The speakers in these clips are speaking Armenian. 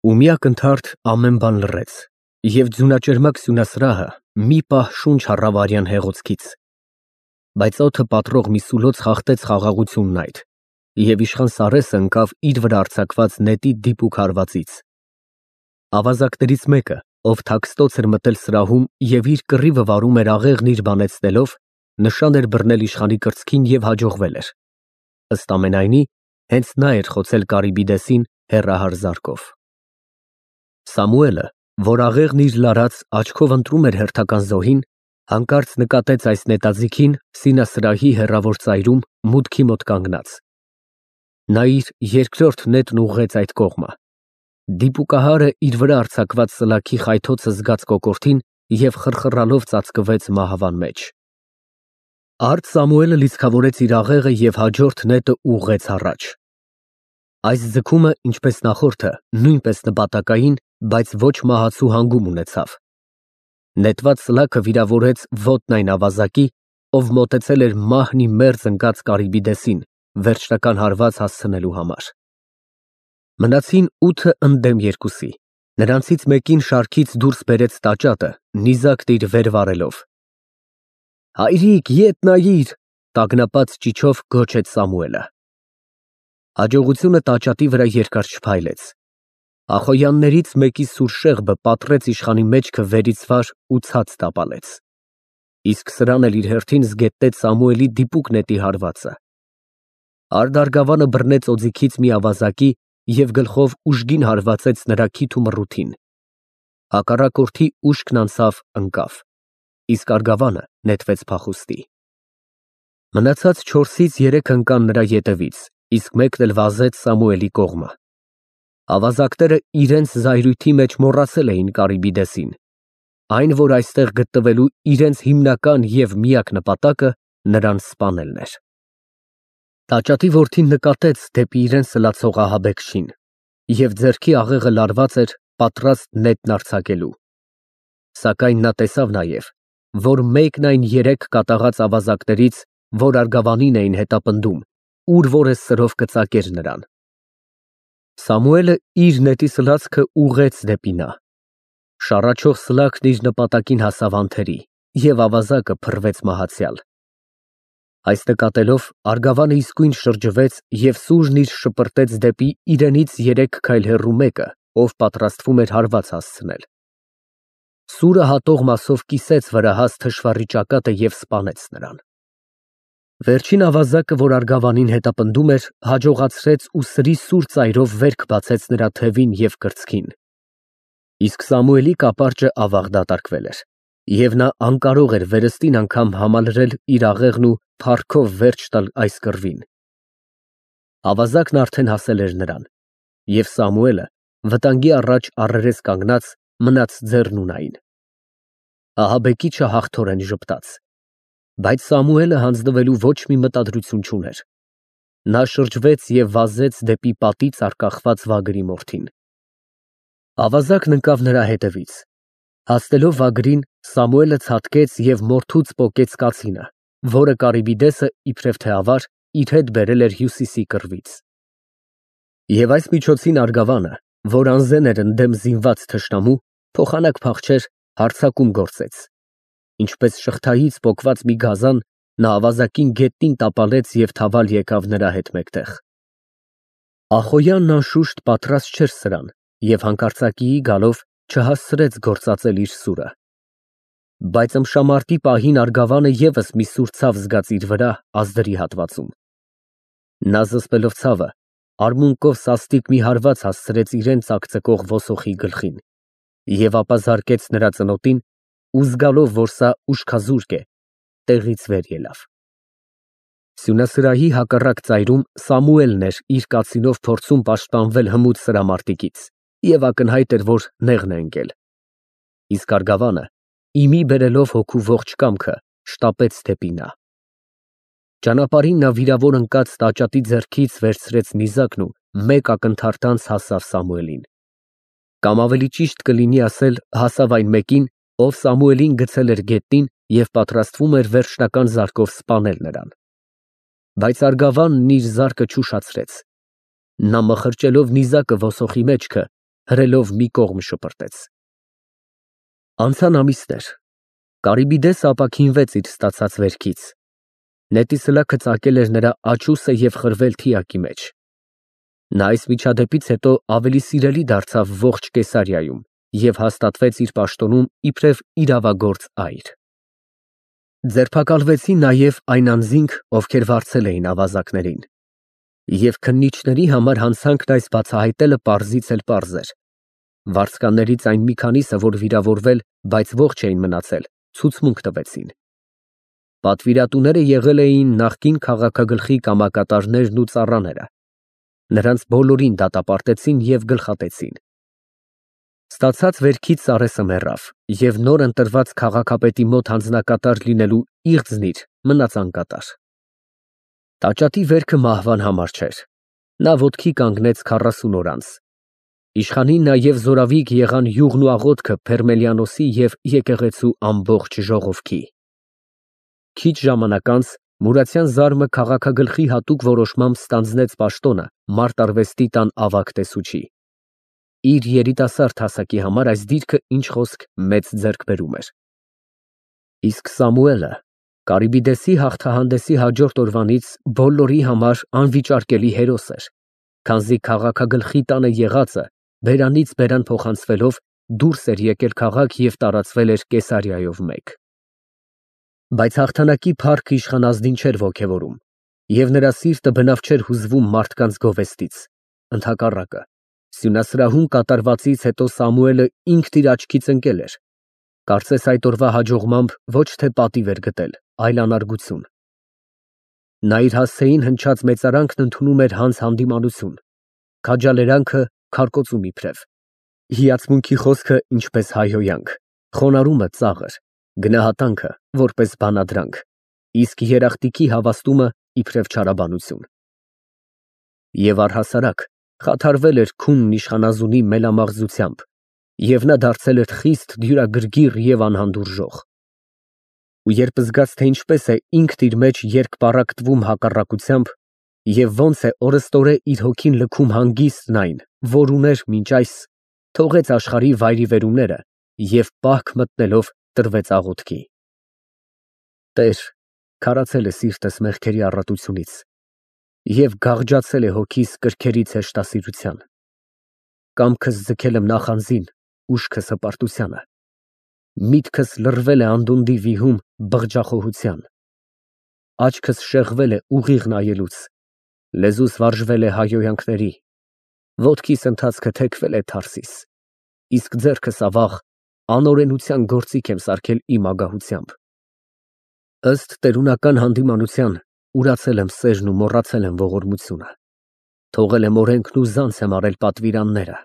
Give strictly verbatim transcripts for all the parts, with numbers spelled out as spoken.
Ու մի ակնթարթ ամեն բան լռեց, և ձյունաճերմակ սյունասրահը մի պահ շունչ առավ արյան հեղոցքից, բայց օդը պատռող մի սուլոց խախտեց խաղաղությունն այդ, և իշխան Սարհատը ընկավ իր վրա արձակված նետի դիպուկ հարվածից։ Ավազակներից մեկը, ով թաքստոց էր մտել սրահում և իր կռիվը վարում էր աղեղն իր բանեցնելով, նշան էր բռնել իշխանի կրծքին և հաջողվել էր, ըստ ամենայնի, հենց նա էր խոցել Կարիբիդեսին հեռահար զարկով։ Սամուելը, որ աղեղն իր լարած աչքով ընտրում էր հերթական զոհին, հանկարծ նկատեց այս նետաձիգին սինասրահի հեռավոր ծայրում մուտքի մոտ կանգնած։ Նա իր երկրորդ նետն ուղղեց այդ կողմը։ Դիպուկահարը իր վրա արձակված սլաքի խայթոցը զգաց կոկորդին և խռխռալով ծածկվեց մահվան մեջ։ Արդ Սամուելը լիցքավորեց իր աղեղը և հաջորդ նետը ուղղեց առաջ։ Այս ձգումը, ինչպես նախորդը, նույնպես նպատակային, բայց ոչ մահացու հանգում ունեցավ։ Նետված սլաքը վիրավորեց ոտն այն ավազակի, ով մոտեցել էր մահն ի մերձ ընկած Կարիբիդեսին վերջնական հարված հասցնելու համար։ Մնացին ութը ընդդեմ երկուսի, նրանցից մեկին շարքից դուրս բերեց տաճատը, նիզակն իր վեր վարելով։ Հայրիկ, ետ նայիր, տագնապած ճիչով գոչեց Սամուելը։ Հաջողությունը տաճատի վրա երկար չփայլեց։ Ախոյաններից մեկի սուր շեղբը պատռեց իշխանի մեջքը վերից վար ու ցած տապալեց։ Իսկ սրան էլ իր հերթին զգետնեց Սամուելի դիպուկ նետի հարվածը։ Արդ արգավանը բռնեց օձիքից մի ավազակի և գլխով ուժգին հարվածեց նրա քիթ ու մռութին։ Հակառակորդի ուշքն անցավ ընկավ, իսկ արգավանը նետվեց փախուստի։ Մնացած չորսից երեքը ընկան նրա ետևից, իսկ մեկն էլ վազեց Սամուելի կողմը։ Ավազակները իրենց զայրույթի մեջ մոռացել էին Կարիբիդեսին, այն, որ այստեղ գտնվելու իրենց հիմնական և միակ նպատակը նրան սպանելն էր։ Տաճատի որդին նկատեց դեպի իրեն սլացող ահաբեկչին և ձեռքի աղեղը լարված էր, պատրաստ նետն արձակելու։ Սակայն նա տեսավ նաև, որ մեկն այն երեք կատաղած ավազակներից, որ արգավանին էին հետապնդում, ուր որ է սրով կծակեր նրան։ Սամուելը իր նետի սլացքը ուղղեց դեպի նա։ Շառաչող սլաքն իր նպատակին հասավ անթերի, և ավազակը փռվեց մահացյալ։ Այս նկատելով, արգավանը իսկույն շրջվեց և սուրն իր շպրտեց դեպի իրենից երեք քայլ հեռու մեկը, ով պատրաստվում էր հարված հասցնել։ Սուրը հատող մասով կիսեց վրահաս թշվառի ճակատը և սպանեց նրան։ Վերջին ավազակը, որ արգավանին հետապնդում էր, հաջողացրեց ու սրի սուր ծայրով վերք բացեց նրա թևին և կրծքին։ Իսկ Սամուելի կապարճը ավաղ դատարկվել էր, և նա անկարող էր վերստին անգամ համալրել իր աղեղն ու փառքով վերջ տալ այս կռվին։ Ավազակն արդեն հասել էր նրան, և Սամուելը, վտանգի առաջ առերես կանգնած, մնաց ձեռն ունայն։ Ահաբեկիչը հաղթորեն ժպտաց, բայց Սամուելը հանձնվելու ոչ մի մտադրություն չուներ։ Նա շրջվեց և վազեց դեպի պատից առկախված վագրի մորթին։ Ավազակն ընկավ նրա հետևից։ Հասնելով վագրին, Սամուելը ցատկեց և մորթուց պոկեց կացինը, որը Կարիբիդեսը, իբրև թե ավար, իր հետ բերել էր Հյուսիսի կռվից։ Եվ այս միջոցին արգավանը, որ անզեն էր ընդդեմ զինված թշնամու, փոխանակ փախչեր, հարձակում գործեց։ Ինչպես շղթայից պոկված մի գազան, նա ավազակին գետնին տապալեց և թավալ եկավ նրա հետ մեկտեղ։ Ախոյանն անշուշտ պատրաստ չէր սրան և հանկարծակիի գալով չհասցրեց գործածել իր սուրը։ Բայց ըմբշամարտի պահին արգավանը ևս մի սուր ցավ զգաց իր վրա ազդրի հատվածում։ Նա զսպելով ցավը, արմունկով սաստիկ մի հարված հասցրեց իրան ծակծկող ոսոխի գլխին և ապա զարկեց նրա ծնոտին ու զգալով, որ սա ուշքազուրկ է, տեղից վեր ելավ։ Սյունասրահի հակառակ ծայրում Սամուելն էր իր կացինով փորձում պաշտպանվել հմուտ սրամարտիկից և ակնհայտ էր, որ նեղն է ընկել։ Իսկ արգավանը, իմի բերելով հոգու ողջ կամքը, շտապեց դեպի նա։ Ճանապարհին նա վիրավոր ընկած տաճատի ձեռքից վերցրեց նիզակն ու մեկ ակնթարթ անց հասավ Սամուելին։ Կամ ավելի ճիշտ կլինի ասել, հասավ այն մեկին, ով Սամուելին գցել էր գետնին և պատրաստվում էր վերջնական զարկով սպանել նրան։ Բայց արգավանն իր զարկը չուշացրեց։ Նա մխրճելով նիզակը ոսոխի մեջքը, հրելով մի կողմ շպրտեց։ Անցան ամիսներ։ Կարիբիդեսը ապաքինվեց իր ստացած վերքից։ Նետի սլաքը ծակել էր նրա աչուսը և խրվել թիակի մեջ։ Նա այս միջադեպից հետո ավելի սիրելի դարձավ ողջ Կեսարիայում և հաստատվեց իր պաշտոնում իբրև իրավագործ այր։ Ձերբակալվեցին նաև այն անձինք, ովքեր վարձել էին ավազակներին։ Եվ քննիչների համար հանցանքն այս բացահայտելը պարզից էլ պարզ էր։ Վարձկաններից այն մի քանիսը, որ վիրավորվել, բայց ողջ էին մնացել, ցուցմունք տվեցին։ Պատվիրատուները եղել էին նախկին քաղաքագլխի կամակատարներն ու ծառաները։ Նրանց բոլորին դատապարտեցին և գլխատեցին։ Ստացած վերքից Սարեսը մեռավ, և նոր ընտրված քաղաքապետի մոտ հանձնակատար լինելու իղձն իր մնաց անկատար։ Տաճատի վերքը մահվան համար չէր։ Նա ոտքի կանգնեց քառասուն օր անց։ Իշխանին նաև զորավիգ եղան յուղն ու աղոթքը Փերմելիանոսի և եկեղեցու ամբողջ ժողովքի։ Քիչ ժամանակ անց Մուրացյան Զարմը քաղաքագլխի հատուկ որոշմամբ ստանձնեց պաշտոնը մարտարվեստի տան ավագ տեսուչի։ Իր երիտասարդ հասակի համար այս դիրքը ինչ խոսք մեծ ձեռքբերում էր։ Իսկ Սամուելը Կարիբիդեսի հաղթահանդեսի հաջորդ օրվանից բոլորի համար անվիճարկելի հերոս էր, քանզի քաղաքագլխի տանը եղածը բերանից բերան փոխանցվելով դուրս էր եկել քաղաք և տարածվել էր Կեսարիայով մեկ։ Բայց հաղթանակի փառքը իշխանազդին չէր ոգևորում, և նրա սիրտը բնավ չէր հուզվում մարդկանց գովեստից։ Ընդհակառակը, սյունասրահում կատարվածից հետո Սամուելը ինքն իր աչքից ընկել էր։ Կարծես այդ օրվա հաջողմամբ ոչ թե պատիվ էր գտել, այլ անարգություն։ Նա իր հասցեին հնչած մեծարանքն ընդունում էր հանց հանդիմանություն, քաջալերանքը քարկոծում իբրև, հիացմունքի խոսքը ինչպես հայհոյանք, խոնարհումը ծաղր, գնահատանքը որպես բանադրանք, իսկ երախտիկի հավաստումը իբրև չարաբանություն։ Եվ առհասարակ խաթարվել էր քունն իշխանազունի մելամաղձությամբ, և նա դարձել էր խիստ դյուրագրգիռ և անհանդուրժող։ Ու երբ զգաց, թե ինչպես է ինքն իր մեջ երկպառակտվում հակառակությամբ և ոնց է օրըստօրե իր հոգին լքում հանգիստն այն, որ ուներ մինչ այս, թողեց աշխարհի վայրիվերումները և պահք մտնելով տրվեց աղոթքի։ Տեր, քարացել է սիրտս մեղքերի առատությունից և գաղջացել է հոգիս կրքերից հեշտասիրության։ Կամքս ձգել եմ նախանձին, ուշքս հպարտությանը, միտքս լռվել է անդունդի վիհում բղջախոհության, աչքս շեղվել է ուղիղ նայելուց, լեզուս վարժվել է հայհոյանքների, ոտքիս ընթացքը թեքվել է թարսիս, իսկ ձեռքս ավաղ անօրենության գործիք եմ սարքել իմ ագահությամբ։ Ըստ տերունական հանդիմանության ուրացել եմ սերն ու մոռացել եմ ողորմությունը, թողել եմ օրենքն ու զանց եմ արել պատվիրանները։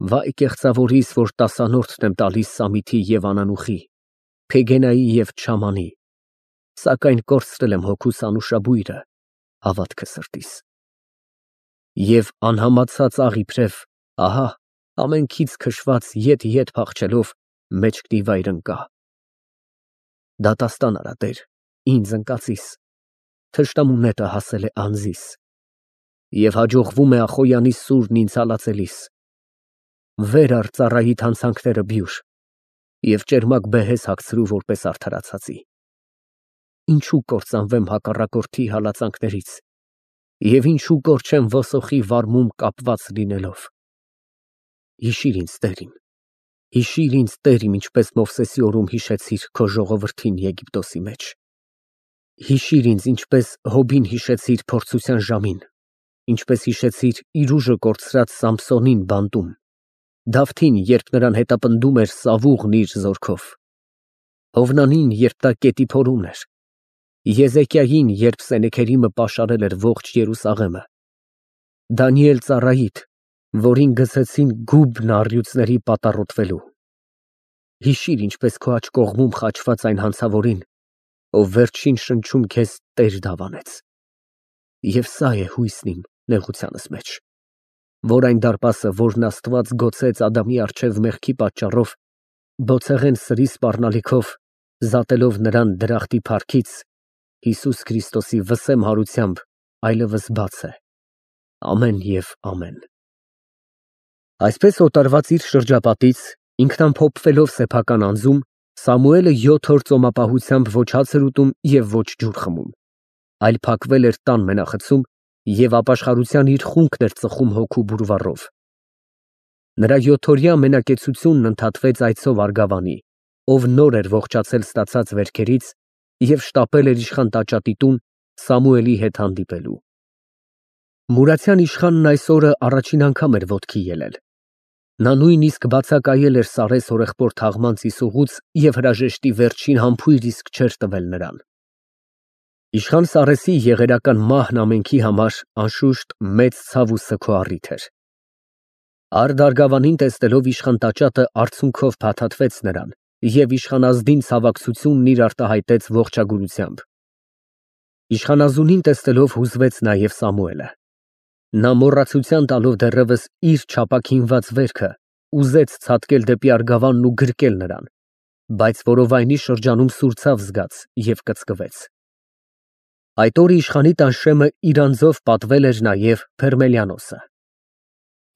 Վայ կեղծավորիս, որ տասանորդն եմ տալիս Սամիթի և Անանուխի, Փեգենայի և Չամանի, սակայն կորցրել եմ հոգուս անուշաբույրը, հավատքը սրտիս։ Եվ անհամացած աղ իբրև, ահա, ամենքից քշված ետ֊ետ փախչելով մեջքնի վայր ընկա։ Դատաստան արա, Տեր, ինձ ընկածիս, թշնամու նետը հասել է անձիս, և հաջողվում է Ախոյանի սուրն ինձ հալածելիս։ Վեր առ ծառայիդ հանցանքները բյուր և ճերմակ բեհեզ հագցրու որպես արդարացածի։ Ինչու կործանվեմ հակառակորդի հալածանքներից և ինչու կորչեմ ոսոխի վարմում կապված լինելով։ Հիշիր ինձ, Տեր իմ, հիշիր ինձ, Տեր իմ, ինչպես Մովսեսի օրում հիշեցիր քո ժողովրդին Եգիպտոսի մեջ։ Հիշիր ինձ, ինչպես Հոբին հիշեցիր փորձության ժամին, ինչպես հիշեցիր իր ուժը կորցրած Սամսոնին բանտում, Դավթին, երբ նրան հետապնդում էր Սավուղն իր զորքով, Հովնանին, երբ նա կետի փորումն էր, Եզեկիային, երբ Սենեքերիմը պաշարել էր ողջ Երուսաղեմը, Դանիել ծառայիդ, որին գցեցին գուբն առյուծների պատառոտվելու։ Հիշիր, ինչպես քո աջ կողմում խաչված այն հանցավորին, ով վերջին շնչում քեզ Տեր դավանեց։ Եվ սա է հույսն իմ նեղությանս մեջ, որ այն դարպասը, որն Աստված գոցեց Ադամի առջև մեղքի պատճառով, բոցեղեն սրի սպառնալիքով, զատելով նրան դրախտի փառքից, Հիսուս Քրիստոսի վսեմ հարությամբ այլևս բաց է։ Ամեն և ամեն։ Այսպես օտարված իր շրջապատից, ինքնամփոփվելով սեփական անձում, Սամուելը յոթ օր ծոմապահությամբ ոչ հաց էր ուտում և ոչ ջուր խմում, այլ փակվել էր տան մենախցում և ապաշխարության իր խունկն էր ծխում հոգու բուրվառով։ Նրա յոթօրյա մենակեցությունն ընդհատվեց այցով Արգավանի, ով նոր էր ողջացել ստացած վերքերից և շտապել էր իշխան տաճատի տուն Սամուելի հետ հանդիպելու։ Մուրացյան իշխանն այս օրը առաջին անգամ էր ոտքի ելել։ Նա նույնիսկ բացակայել էր Սարես հորեղբոր թաղման ծիսուղուց և հրաժեշտի վերջին համբույր իսկ չէր տվել նրան։ Իշխան Սարեսի եղերական մահն ամենքի համար, անշուշտ, մեծ ցավ ու սգո առիթ էր։ Արդ Արգավանին տեսնելով իշխան տաճատը արցունքով փաթաթվեց նրան և իշխանազդին ցավակցությունն իր արտահայտեց ողջագուրությամբ։ Իշխանազունին տեսնելով հուզվեց նաև Սամուելը։ Նա մոռացության տալով դեռևս իր չափաքինված վերքը, ուզեց ցատկել դեպի Արգավանն ու գրկել նրան, բայց որովայնի շրջանում սուր ցավ զգաց և կծկվեց։ Այդ օրը իշխանի տան շեմը իր անձով պատվել էր նաև Փերմելիանոսը։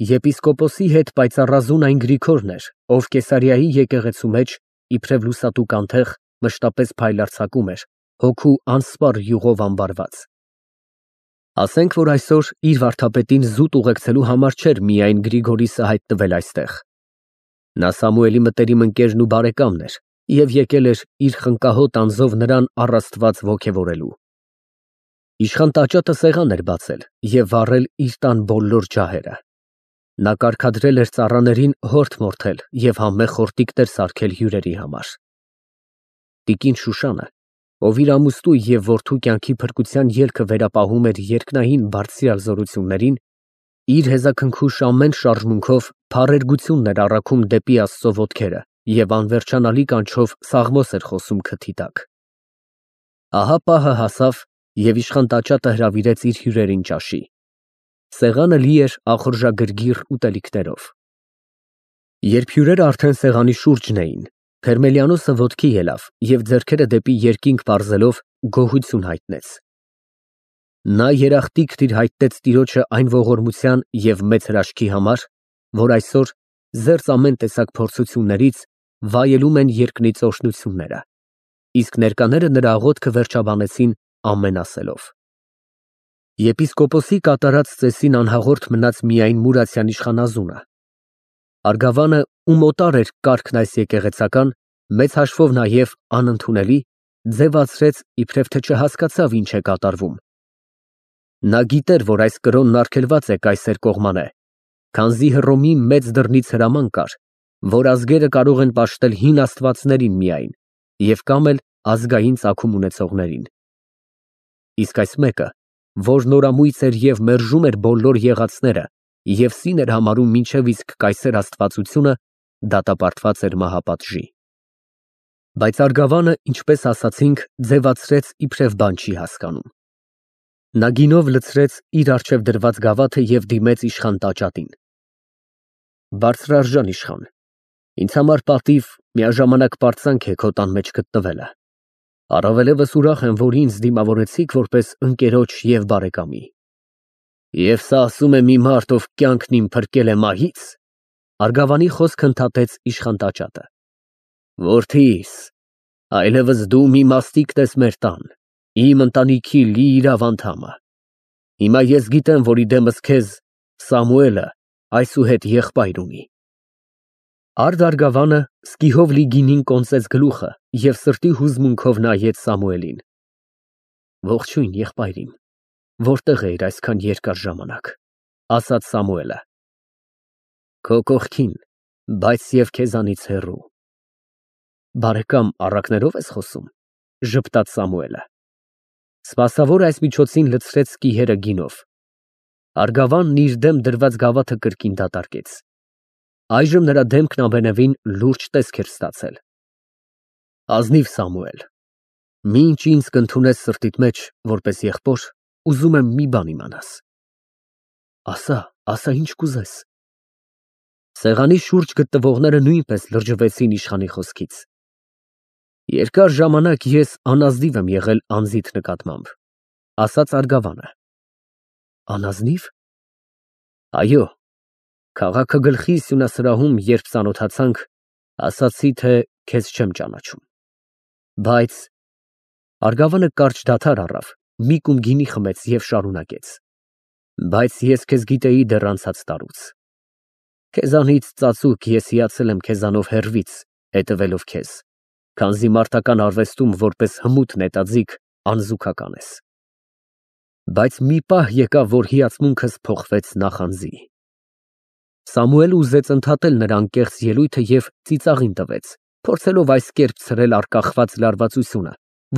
Եպիսկոպոսի հետ պայծառազուն այն Գրիգորն էր, ով Կեսարիայի եկեղեցու մեջ, իբրև լուսատուկ անթեղ, մշտապես փայլարձակում էր, հոգու անսպառ յուղով ամբարված։ Ասենք, որ այսօր իր վարդապետին զուտ ուղեկցելու համար չէր միայն Գրիգորիսը հայտնվել այստեղ։ Նա Սամուելի մտերիմ ընկերն ու բարեկամն էր և եկել էր իր խնկահոտ անձով նրան առ Աստված ոգևորելու։ Իշխան տաճատը սեղան էր բացել և վառել իր տան բոլոր ջահերը։ Նա կարգադրել էր ծառաներին հորդ մորթել և համեղ խորտիկներ սարքել հյուրերի համար։ Տիկին Շուշանը, ով իր ամուսնու և որդու կյանքի փրկության ելքը վերապահում էր երկնային բարձրյալ զորություններին, իր հեզաքնքուշ ամեն շարժմունքով փառերգությունն էր առաքում դեպի Աստծո ոտքերը և անվերջանալի կանչով սաղմոս էր խոսում քթի տակ։ Ահա պահը հասավ, և իշխան տաճատը հրավիրեց իր հյուրերին ճաշի։ Սեղանը լի էր ախորժագրգիռ ուտելիքներով։ Երբ հյուրերն արդեն սեղանի շուրջն էին, Փերմելիանոսը ոտքի ելավ և ձեռքերը դեպի երկինք պարզելով գոհություն հայտնեց։ Նա երախտիկն իր հայտնեց տիրոջը այն ողորմության և մեծ հրաշքի համար, որ այսօր, զերծ ամեն տեսակ փորձություններից, վայելում են երկնից օրհնությունները, իսկ ներկաները նրա աղոթքը վերջաբանեցին ամեն ասելով։ Եպիսկոպոսի կատարած ծեսին անհաղորդ մնաց միայն Մուրացյան իշխանազունը։ Արգավանը, ում օտար էր կարգն այս եկեղեցական, մեծ հաշվով նաև անընդունելի, ձևացրեց, իբրև թե չհասկացավ ինչ է կատարվում։ Նա գիտեր, որ այս կրոնն արգելված է կայսեր կողմանե, քանզի Հռոմի մեծ դռնից հրաման կար, որ ազգերը կարող են պաշտել հին աստվածներին միայն և կամ էլ ազգային ծագում ունեցողներին։ Իսկ այս մեկը, որ նորամույծ էր և մերժում էր բոլոր եղածները և սին էր համարում մինչև իսկ կայսեր աստվածությունը, դատապարտված էր մահապատժի։ Բայց Արգավանը, ինչպես ասացինք, ձևացրեց, իբրև բան չի հասկանում։ Նա գինով լցրեց իր առջև դրված գավաթը և դիմեց իշխան տաճատին։ Բարձրարժան իշխան, ինձ համար պատիվ, միաժամանակ պարծանք է քո տան մեջ գտնվելը։ Առավելևս ուրախ եմ, որ ինձ դիմավորեցիք որպես ընկերոջ և բարեկամի։ Եվ սա ասում է մի մարդ, ով կյանքն իմ փրկել է մահից։ Արգավանի խոսքը ընդհատեց իշխան տաճատը։ Որդիս, այլևս դու մի մասնիկն ես մեր տան, իմ ընտանիքի լիիրավ անդամը։ Հիմա ես գիտեմ, որ իդեմս քեզ Սամուելը այսուհետ եղբայր ունի։ Արդ Արգավանը սկիհով լի գինին կոնծեց գլուխը և սրտի հուզմունքով նայեց Սամուելին։ Ողջույն, եղբայր իմ, որտեղ էիր այսքան երկար ժամանակ, ասաց Սամուելը։ Քո կողքին, բայց և քեզանից հեռու։ Բարեկամ, առակներով ես խոսում, ժպտաց Սամուելը։ Սպասավորը այս միջոցին լցրեց սկիհերը գինով։ Արգավանն իր դեմ դրված գավաթը կրկին դատարկեց։ Այժմ նրա դեմքն ամենևին լուրջ տեսք էր ստացել։ Ազնիվ Սամուել, մինչ ինձ կընդունես սրտիդ մեջ որպես եղբոր, ուզում եմ մի բան իմանաս։ Ասա, ասա, ինչ կուզես։ Սեղանի շուրջ գտնվողները նույնպես լրջվեցին իշխանի խոսքից։ Երկար ժամանակ ես անազնիվ եմ եղել անձիդ նկատմամբ, ասաց Արգավանը։ Անազնի՞վ։ Այո, Քաղաքը գլխի սյունասրահում, երբ ծանոթացանք, ասացի, թե քեզ չեմ ճանաչում։ Բայց Արգավանը կարճ դադար առավ, մի կում գինի խմեց և շարունակեց. Բայց ես քեզ գիտեի դեռ անցած տարուց։ Քեզանից ծածուկ ես հիացել եմ քեզանով հեռվից, հետևելով քեզ, քանզի մարդական արվեստում որպես հմուտ նետաձիգ անզուգական ես։ Բայց մի պահ եկավ, որ հիացմունքս փոխվեց նախանձի։ Սամուելը ուզեց ընդհատել նրա անկեղծ ելույթը և ծիծաղին տվեց, փորձելով այս կերպ ցրել առկախված լարվածությունը,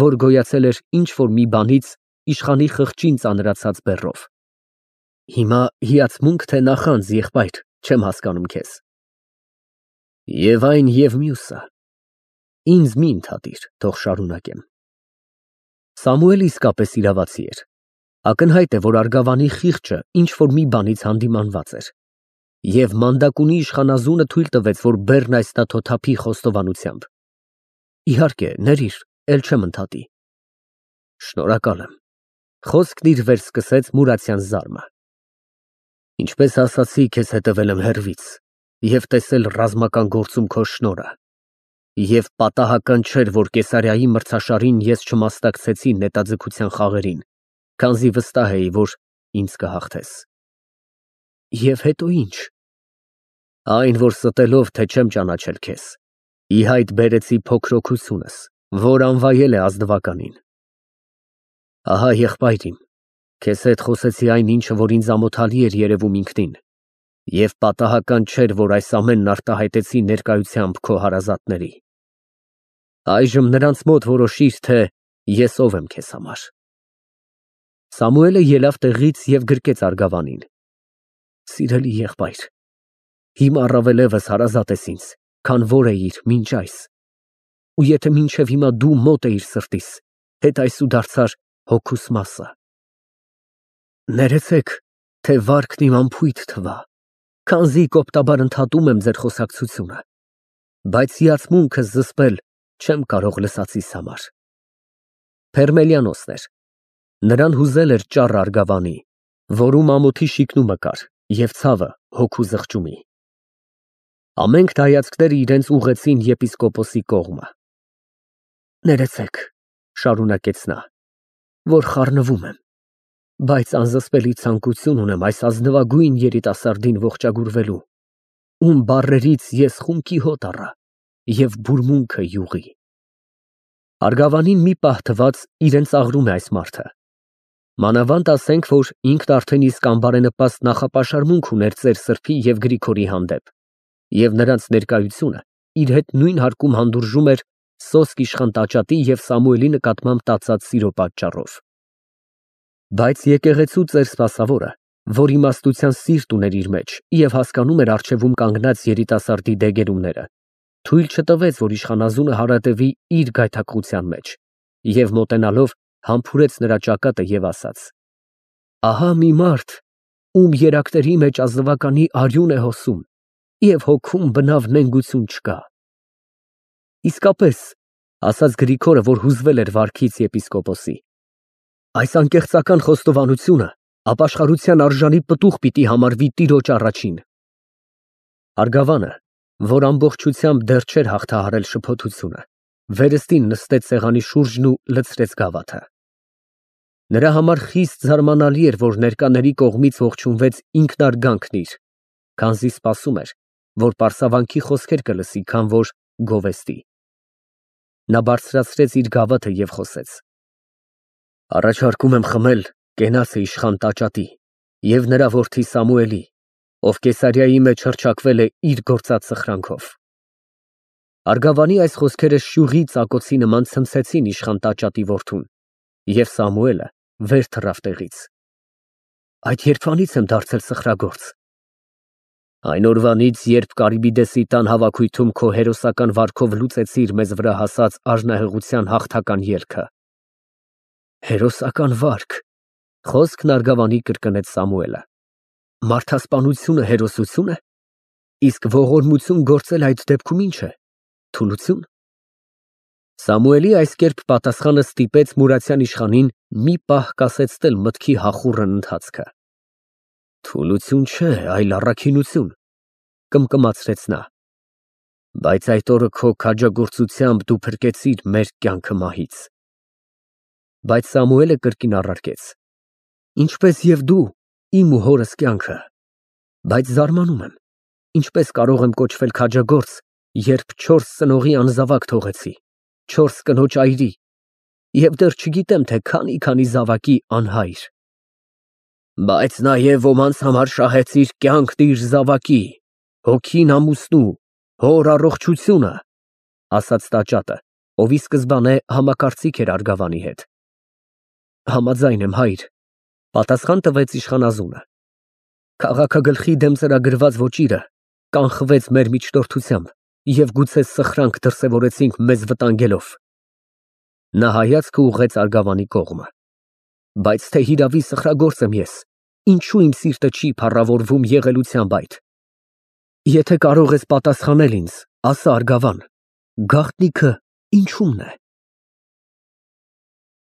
որ գոյացել էր ինչ֊որ մի բանից իշխանի խղճին ծանրացած բեռով։ Հիմա հիացմունք թե նախանձ, եղբայր, չեմ հասկանում քեզ։ Եվ այն և մյուսը։ Ինձ մի ընդհատիր, թող շարունակեմ։ Սամուելը իսկապես իրավացի էր։ Ակնհայտ է, որ Արգավանի խիղճը ինչ֊որ մի բանից հանդիմանված էր։ Եվ մանդակունի իշխանազունը թույլ տվեց, որ բեռն այս նա թոթափի խոստովանությամբ։ Իհարկե, ներիր, էլ չեմ ընդհատի։ Շնորհակալ եմ։ Խոսքն իր վերսկսեց Մուրացյան զարմը։ Ինչպես ասացի, քեզ հետևել եմ հեռվից և տեսել ռազմական գործում քո շնորհը։ Եվ պատահական չէր, որ Կեսարիայի մրցաշարին ես չմասնակցեցի նետաձգության խաղերին, քանզի վստահ էի, որ ինձ կհաղթես։ Եվ հետո ինչ։ Այն, որ ստելով, թե չեմ ճանաչել քեզ, ի հայտ բերեցի փոքր օգուտությունս, որ անվայել է ազնվականին։ Ահա եղբայր իմ, քեզ հետ խոսեցի այն ինչը, որ ինձ ամոթալի էր երևում ինքնին, և պատահական չէր, որ այս ամենն արտահայտեցի ներկայությամբ քո հարազատների։ Այժմ նրանց մոտ որոշիր, թե ես ով եմ քեզ համար։ Սամուելը ելավ տեղից և գրկեց Արգավանին։ Սիրելի եղբայր, հիմա առավելևս հարազատ ես ինձ, քան որ էիր մինչ այս, ու եթե մինչև հիմա դու մոտ էիր սրտիս, հետ այսու դարձար հոգուս մասը։ Ներեցեք, թե վարքն իմ անփույթ թվա, քանզի կոպտաբար ընդհատում եմ ձեր խոսակցությունը, բայց հիացմունքս զսպել չեմ կարող լսածիս համար։ Փերմելիանոսն էր։ Նրան հուզել էր ճառ Արգավանի, որում ամոթի շիկնումը կար և ցավը հոգու զղջումի։ Ամենք հայացքները իրենց ուղղեցին եպիսկոպոսի կողմը։ Ներեցեք, շարունակեց նա, որ խառնվում եմ, բայց անզսպելի ցանկություն ունեմ այս ազնվագույն երիտասարդին ողջագուրվելու, ում բառերից ես խունկի հոտ առա և բուրմունքը յուղի։ Արգավանին մի պահ թվաց իրեն ծաղրում է այս մարդը։ Մանավանդ ասենք, որ ինքն արդեն իսկ անբարենպաստ նախապաշարմունք ուներ ծեր Սրբի և Գրիգորի հանդեպ, և նրանց ներկայությունը իր հետ նույն հարկում հանդուրժում էր սոսկ իշխան տաճատի և Սամուելի նկատմամբ տածած սիրո պատճառով։ Բայց եկեղեցու ծեր սպասավորը, որ իմաստության սիրտ ուներ իր մեջ և հասկանում էր առջևում կանգնած երիտասարդի դեգերումները, թույլ չտվեց, որ իշխանազունը հարատևի իր գայթակղության մեջ, և մոտենալով համբուրեց նրա ճակատը և ասաց. Ահա մի մարդ, ում երակների մեջ ազնվականի արյուն է հոսում, և հոգում բնավ նենգություն չկա։ Իսկապես, ասաց Գրիգորը, որ հուզվել էր վարքից եպիսկոպոսի, այս անկեղծական խոստովանությունը ապաշխարության արժանի պտուղ պիտի համարվի տիրոջ առաջին։ Արգավանը, որ ամբողջությամբ դեռ չէր հաղթահարել շփոթությունը, վերստին նստեց սեղանի շուրջն ու լցրեց գավաթը։ Նրա համար խիստ զարմանալի էր, որ ներկաների կողմից ողջունվեց ինքնարգանքն իր, քանզի սպասում էր, որ պարսավանքի խոսքեր կլսի, քան որ գովեստի։ Նա բարձրացրեց իր գավաթը և խոսեց. Առաջարկում եմ խմել կենացը իշխան տաճատի և նրա որդի Սամուելի, ով Կեսարիայի մեջ հռչակվել է իր գործած սխրանքով։ Արգավանի այս խոսքերը շյուղի ծակոցի նման ցնցեցին իշխան տաճատի որդուն, և Սամուելը վեր թռավ տեղից։ Այդ երբվանից եմ դարձել սխրագործ։ Այն օրվանից, երբ Կարիբիդեսի տան հավաքույթում քո հերոսական վարքով լուծեցիր մեզ վրա հասած արժանահեղության հաղթական ելքը։ Հերոսական վարք, խոսքն Արգավանի կրկնեց Սամուելը։ Մարդասպանությունը հերոսություն է, իսկ ողորմություն գործել այդ դեպքում ինչ է, թուլություն։ Սամուելի այս կերպ պատասխանը ստիպեց Մուրացյան իշխանին մի պահ կասեցնել մտքի հախուռն ընթացքը։ Թուլություն չէ, այլ առաքինություն, Կմկմացրեց նա։ Բայց այդ օրը քո քաջագործությամբ դու փրկեցիր մեր կյանքը մահից։ Բայց Սամուելը կրկին առարկեց. Ինչպես և դու իմ ու հորս կյանքը, բայց զարմանում եմ, ինչպես կարող եմ կոչվել քաջագործ, երբ չորս ծնողի անզավակ թողեցի, չորս կնոջ այրի, և դեռ չգիտեմ, թե քանի֊քանի զավակի անհայր։ Բայց նաև ոմանց համար շահեցիր կյանքն իր զավակի, հոգին ամուսնու, հոր առողջությունը, ասաց տաճատը, ով ի սկզբանե համակարծիք էր արգավանի հետ։ Համաձայն եմ, հայր, պատասխան տվեց իշխանազունը։ Քաղաքագլխի դեմ ծրագրված ոճիրը կանխվեց մեր միջնորդությամբ և գուցե սխրանք դրսևորեցինք մեզ վտանգելով։ Նա հայացքը ուղղեց արգավանի կողմը։ Բայց թե հիրավի սխրագործ եմ ես, ինչու իմ սիրտը չի փառավորվում եղելությամբ այդ։ Եթե կարող ես պատասխանել ինձ, ասա արգավան, գաղտնիքը ինչումն է։